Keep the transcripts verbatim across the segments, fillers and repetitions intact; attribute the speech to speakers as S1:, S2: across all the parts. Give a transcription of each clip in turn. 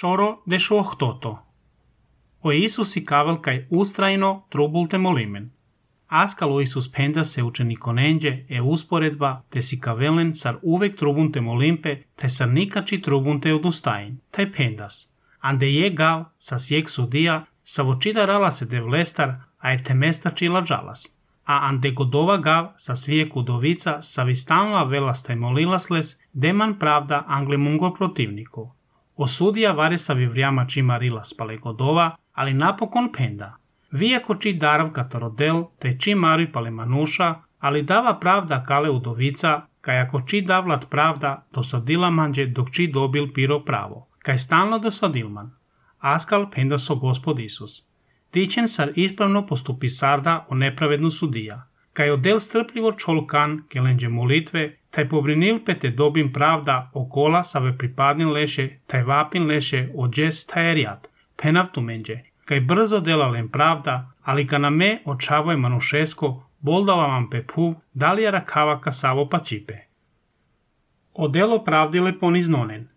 S1: Шоро дешо охтото. O Isus i kavel kai ustrajno trubulte molimen. Askalo Isus penda se učenikonenđe e usporedba te si kavelen sar uvek trubunte molimpe te sar nikači trubunte odustajin, taj pendas. Ande je gav sa sjek sudija sa vočida rala se devlestar a e temesta čila džalas. A ande godova gav sa svijek udovica sa vistanla velasta i molilasles deman pravda anglemungo protivniku. Osudija vare sa vivrjama čima rila spale godova, ali napokon penda. Vijako či darav katarodel, te či mari pale manuša, ali dava pravda kale udovica, kaj ako či davlat pravda, dosadila manđe dok či dobil piro pravo, kaj stalno dosadilman. Askal penda so Gospod Isus. Tičen sar ispravno postupi sarda o nepravednu sudija, kaj odel strpljivo čolkan kelenđe molitve, taj pobrinil pe te dobim pravda okola save pripadnin leše, taj vapin leše ođes tajerijat, penav tumenđe, kaj brzo delalen pravda, ali ka na me očavoj manušesko, boldava vam pe puv, dalija rakava kasavo pa čipe. Odelo pravdile poniznonen.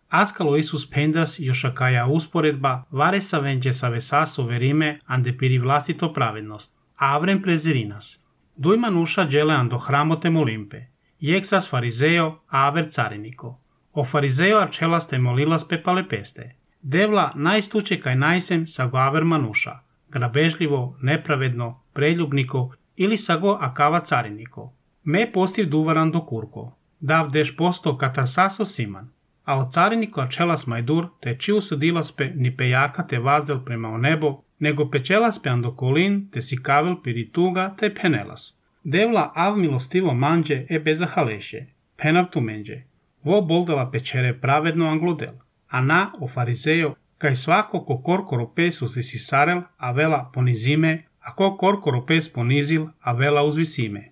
S1: Askalo Isus pendas jošakaja usporedba, vare sa venđe sa vesaso verime, ande piri vlastito pravednost, avrem prezirinas. Duj manuša džele ando hramote molimpe, jeksas farizeo, aver cariniko. O farizeo arčelaste molilas pe palepeste. Devla najstuče kaj najsem sa go aver manuša, grabežljivo, nepravedno, preljubniko ili sa go akava cariniko. Me postiv duvaran do kurko, dav deš posto katar saso siman, a od cariniko arčelas majdur te čiju sudilaspe ni pejaka te vazdel prema o nebo, nego pečelaspe ando kolin te si kavel pirituga te penelas. Devla av milostivo manđe e beza haleše, penav tu menđe, vo boldala pečere pravedno anglodel. A na o farizeo, kaj svako ko korkoro pes uzvisi sarel, a vela ponizime, a ko korkoro pes ponizil, a vela uzvisime.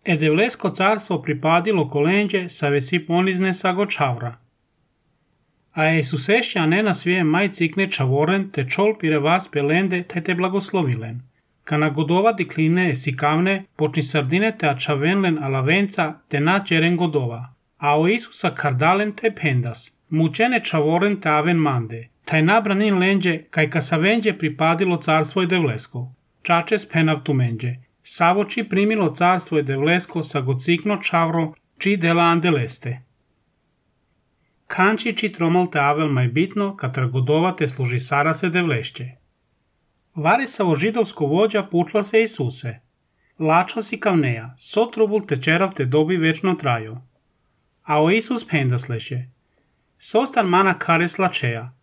S1: E devlesko carstvo pripadilo kolenđe sa vesi ponizne sa go čavra. A Isusešća ne na svije maj cikne čavoren, te čol pire vas pelende, te te blagoslovilen. Kana godova dikline si kavne, počni sardine te ačavenlen alavenca, te na čeren godova. A o Isusa kardalen te pendas, mučene čavoren te aven mande, taj nabranin lenđe, kaj ka sa venđe pripadilo carstvo je devlesko. Čačes penav tu menđe, savo či primilo carstvo je devlesko sa gocikno čavro, či dela andeleste. Kanči či tromal te avel maj bitno, katar godova te služi sara se devlešće. Vari savo židovsko vođa pučla se Isuse. Lačo si kavneja, so trubul te čerav te dobi večno trajo. A o Isus pendas leše. Sostan mana kare slačeja.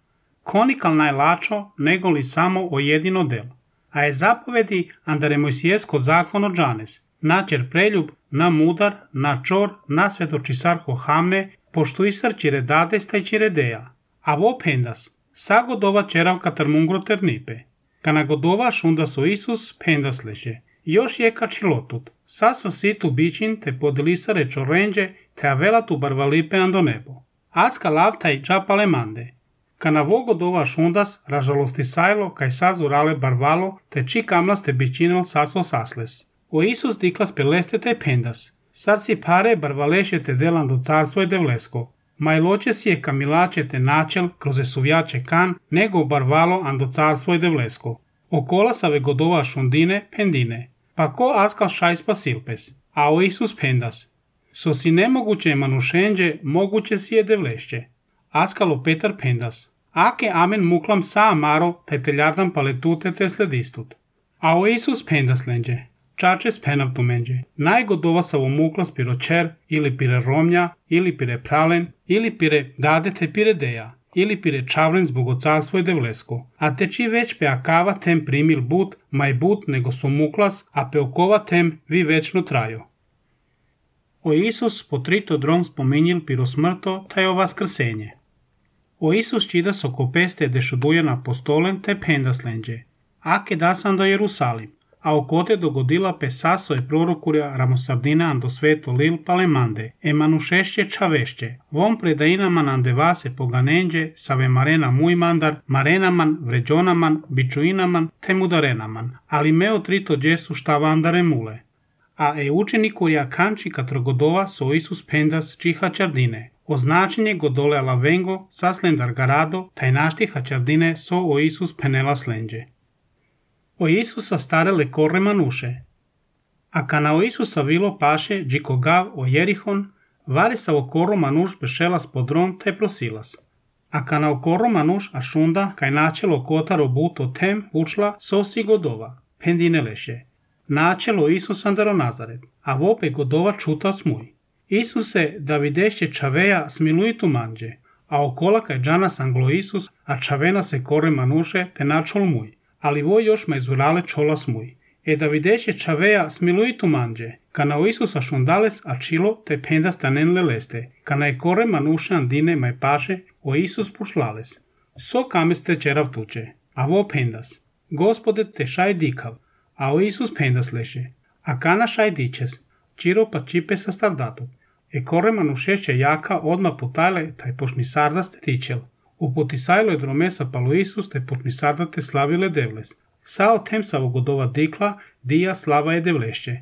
S1: Konikal najlačo, nego li samo o jedino del. A je zapovedi andare Mojsijesko zakon o džanes. Načer preljub, na mudar, na čor, na svetočisarho hamne, pošto i srčire dade stajčire deja. A vo pendas, sa godova čerav katar mungro ternipe. Kana godova šunda so Isus pendas leše. Još je kačilotut. Saso situ bičin te podilisare čorenđe te avela tu barvalipe ando nebo. Aska lavtaj džapale mande. Kana vogodova šundas ražalosti sajlo kaj sazu rale barvalo te či kamlaste bičinel saso sasles. O Isus diklas peleste te pendas. Sad si pare barvaleše te delan do carstvo je devlesko. Majloče si je kamilače te načel kroz suvjače kan nego barvalo ando carstvo je devlesko. Okola save godova šundine pendine. Pa ko askal šajspa silpes. A o Isus pendas. So si nemoguće manušenđe, moguće si je devlešće. Askalo Petar pendas. Ake amen muklam sa amaro, te teljardam paletute te sledistut. A o Isus pendas lenđe. Čačes penav tu menđe. Najgodova savo muklas piro čer, ili pire romnja, ili pire pralen, ili pire dade te pire deja, ili pire čavren zbog carstvo je devlesko. A te či već pe akava tem primil but, maj but nego su muklas, a pe okova tem vi večno trajo. O Isus po trito dron spominjil piro smrto, taj o vaskrsenje. O Isus čida so kopeste dešuduja na apostolen te pendas lenđe. Ake dasan do Jerusalim, a okote dogodila pe saso je prorokurja ramosardina ando sveto lil palemande, e manušešće čavešće, vom predainaman ande vase poganenđe, save marena mujmandar, marenaman, vređonaman, bičuinaman, te mudarenaman, ali meo trito džesu štavandare mule. A e učenikurja kanči katrogodova so Isus pendas čiha čardine, Označenje godole alla vengo sa slendar garado, taj našti hačardine so o Isus penela slendje. O Isusa starele korre manuše. A kana o Isusa vilo paše, džiko gav o Jerihon, vari sa o korro manuš bešelas podron te prosilas. A kana o korro manuš a šunda, kaj načelo kotaro buto tem učla sosi godova, pendine leše. Načelo Isus andaro Nazaret, a vope godova čuta smuj. Isuse, da videše čaveja smiluitu manđe, a okola kaj džanas anglo Isus, a čavena se korre manuše te načol muj, ali vo još mezurale čola smuj. E da videše čaveja smiluitu manđe, kana o Isusa šundales a čilo te pendas tanen leleste, kana je korre manuše andine maj paše o Isus pučlales. So kameste čerav tuče, a vo pendas. Gospode te šaj dikav, a o Isus pendas leše, a kana šaj dičes, čiro pa čipe sa stardatu. E korre manušeće jaka odma putajle taj pošni sardas te tičel. U potisajlo je dromesa palo Isus te pošni sarda te slavile devles. Sao tem sa vogodova dikla, dija slava je devlešće.